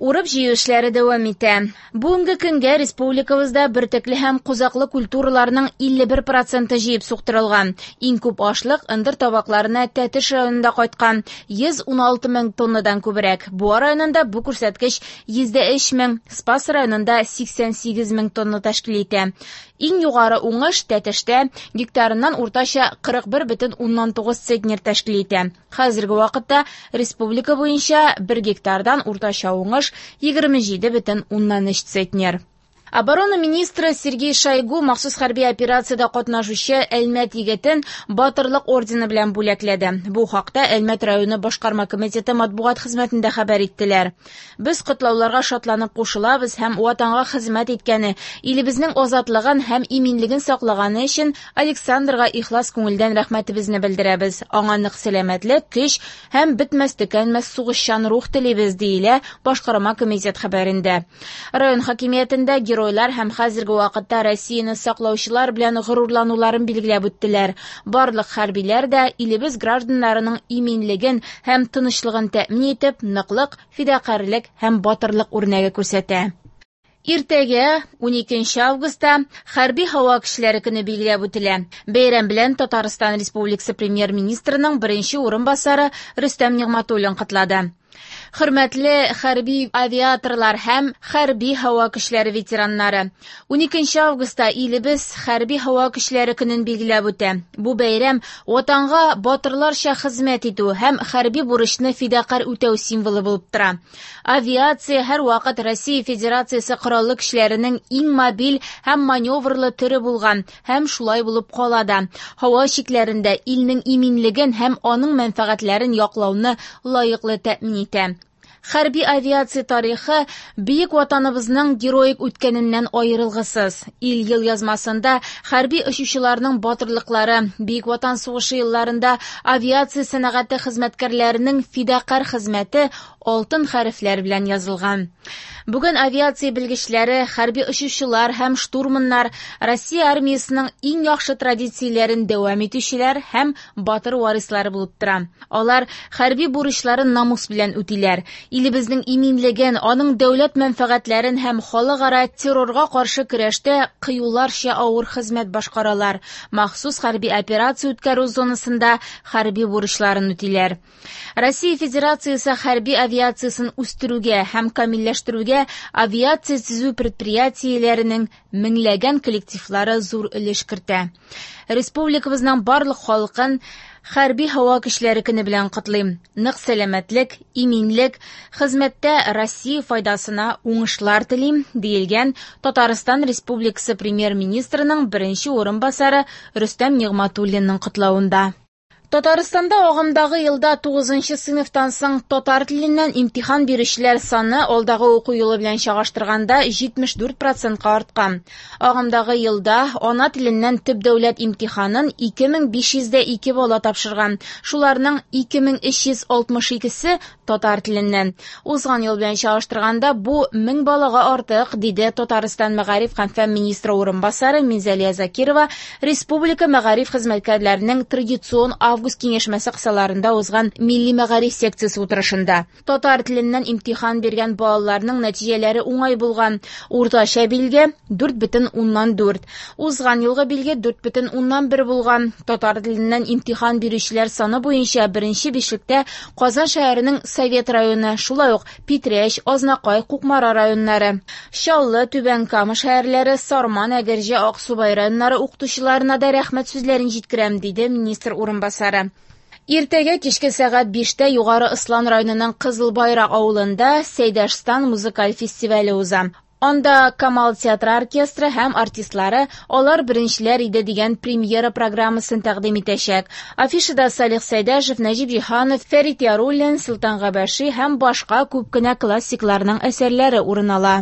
Урып-җыю эшләре дәвам итә. Бүгенге көнгә республикабызда бөртекле һәм кузаклы культураларның 51 проценты җыеп суктырылган. Иң күп ашлык ындыр табакларына Тәтеш районында кайткан 116 мең тоннадан күбрәк. Буа районында бу күрсәткеч 103 мең, Спас районында 88 мең тонна тәшкил итә. Иң югары уңыш Тәтештә гектарыннан уртача 41,9 центнер тәшкил итә. Хәзерге вакытта республика буенча бер гектардан уртача уңыш 27,3 центнер. Оборона министры Сергей Шойгу махсус хәрби операциядә катнашучы Әлмәт егетен Батырлык ордены белән бүләкләде. Бу хакта Әлмәт районы башкарма комитеты матбугат хезмәтендә хәбәр иттеләр. Без котлауларга шатланып кушылабыз һәм Ватанга хезмәт иткәне, илебезнең азатлыгын һәм иминлеген саклаганы өчен Александрга ихлас күңелдән рәхмәтебезне белдерәбез. Аңа нык сәламәтлек, көч һәм бетмәс-төкәнмәс сугышчан рух телибез, диелә башкарма комитет хәбәрендә. Район хакимиятендә геройлар һәм хәзерге вакытта Россияне саклаучылар белән горурлануларын билгеләп үттеләр. Барлык хәрбиләр дә илебез гражданнарының иминлеген һәм тынычлыгын тәэмин итеп, ныклык, фидакарьлек һәм батырлык үрнәге күрсәтә. Иртәгә, 12 августта, Хәрби һава көчләре көне билгеләп үтелә. Бәйрәм белән Татарстан Республикасы Премьер-министрының беренче урынбасары Рөстәм Нигъмәтуллин котлады. Хөрмәтле хәрби авиаторлар һәм хәрби һава көчләре ветераннары! 12 августта илебез Хәрби һава көчләре көнен билгеләп үтә. Бу бәйрәм Ватанга батырларча хезмәт итү һәм хәрби бурычны фидакарь үтәү символы булып тора. Авиация һәрвакыт Россия Федерациясе Кораллы көчләренең иң мобиль һәм маневрлы төре булган һәм шулай булып кала да. Һава чикләрендә илнең иминлеген һәм аның мәнфәгатьләрен яклауны лаеклы тәэмин итә. Хәрби авиация тарихы бөек Ватаныбызның героик үткәненнән аерылгысыз. Ил елъязмасында хәрби очучыларның батырлыклары, Бөек Ватан сугышы елларында авиация сәнәгате хезмәткәрләренең фидакарь хезмәте алтын хәрефләр белән язылган. Бүген авиация белгечләре, хәрби очучылар һәм штурманнар Россия армиясенең иң яхшы традицияләрен дәвам итүчеләр һәм батыр варислары булып тора. Алар хәрби бурычларын намус белән үтиләр. Илебезнең иминлеген, аның дәүләт мәнфәгатьләрен һәм халыкара террорга каршы көрәштә кыюларча авыр хезмәт башкаралар. Махсус хәрби операция үткәрү зонасында хәрби бурычларын үтиләр. Россия Федерациясе хәрби авиациясен үстерүгә һәм камилләштерүгә авиация төзү предприятиеләренең меңләгән коллективлары зур өлеш кертә. Республикабызның барлык халкын Хәрби һава көчләре көне белән котлыйм. Нык сәламәтлек, иминлек, хезмәттә Россия файдасына уңышлар телим, диелгән Татарстан Республикасы Премьер-министрының беренче урынбасары Рөстәм Нигъмәтуллинның котлавында. Татарстанда агымдагы елда 9 сыйныфтан соң татар теленнән имтихан бирүчеләр саны алдагы уку елы белән чагыштырганда 74 процентка арткан. Агымдагы елда ана теленнән төп дәүләт имтиханын 2502 бала тапшырган. Шуларның 2362-се татар теленнән. Узган ел белән чагыштырганда бу 1000 балага артык, диде Татарстан мәгариф һәм фән министры урынбасары Минзәлия Закирова республика мәгариф хезмәткәрләренең традицион август киңәшмәсе кысаларында узган милли мәгариф секциясе утырышында. Татар теленнән имтихан биргән балаларның нәтиҗәләре уңай булган. Уртача билге 4,4. Узган елгы билге 4,1 булган. Татар теленнән имтихан бирүчеләр саны буенча беренче бишлектә Казан шәһәренең Совет районы, шулай ук Питрәч, Азнакай, Кукмара районнары. Чаллы, Түбән Кама шәһәрләре, Сарман, Әгерҗе, Аксубай районнары укытучыларына да рәхмәт сүзләрен җиткерәм, диде министр урынбасары. Иртәгә кичке сәгать 5-тә Югары Ослан районының Кызыл Байрак авылында Сәйдәшстан музыкаль фестивале уза. Анда Камал театры оркестры һәм артистлары Алар беренчеләр иде дигән премьера программасын тәкъдим итәчәк. Афишада Салих Сәйдәшев, Нәҗип Җиһанов, Фәрит Яруллин, Солтан Габәши һәм башка күп кенә классикларның әсәрләре урын ала.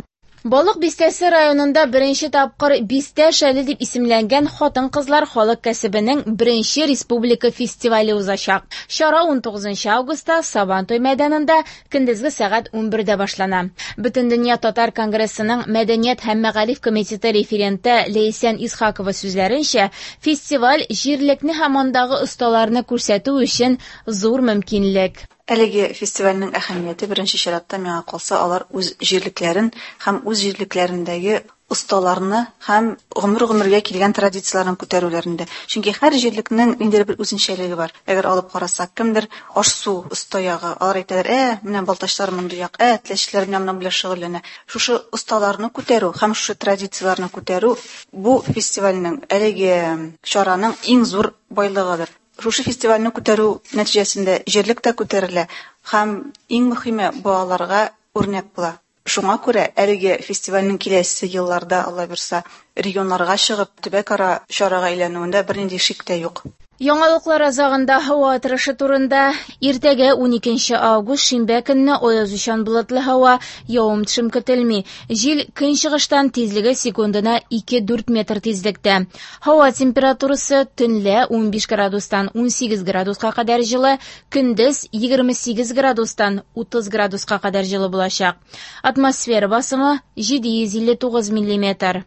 Балык Бистәсе районында беренче тапкыр Бистә шәле дип исемләнгән хатын-кызлар халык кәсебенең беренче республика фестивале узачак. Чара 19 августта Сабантуй мәйданында көндезге сәгать 11-дә башлана. Бөтендөнья татар конгрессының Мәдәният һәм мәгариф комитеты референты Ләйсән Исхакова сүзләренчә, фестиваль җирлекне һәм андагы осталарны күрсәтү өчен зур мөмкинлек. Әлеге фестивальнең әһәмияте, беренче чиратта, миңа калса, алар үз җирлекләрен һәм үз җирлекләрендәге осталарны һәм гомер-гомергә килгән традицияләрен күтәрүләрендә. Чөнки һәр җирлекнең ниндидер бер үзенчәлеге бар. Әгәр алып карасак, кемдер аш-су оста ягы, алар әйтәләр, ә, менә балтачлар мондый як, ә, теләчеләр менә моның белән шөгыльләнә. Шушы осталарны күтәрү һәм шушы традицияләрне күтәрү бу фестивальнең, әлеге чараның иң зур байлыгыдыр. Шушы фестивальне күтәрү нәтиҗәсендә җирлек тә күтәрелә һәм иң мөһиме балаларга үрнәк була. Шуңа күрә әлеге фестивальнең киләсе елларда, Алла бирса, регионнарга чыгып, төбәкара чарага әйләнүендә бернинди шик тә юк. Яңалыклар азагында һава торышы турында. Иртәгә 12 август шимбә көнне аязучан болытлы һава, явым-төшем көтелми. Җил көнчыгыштан тизлеге секундына 2-4 метр тизлектә. Һава температурасы төнлә 15 градустан 18 градуска кадәр җылы, көндез 28 градустан 30 градуска кадәр җылы булачак. Атмосфера басымы 759 миллиметр.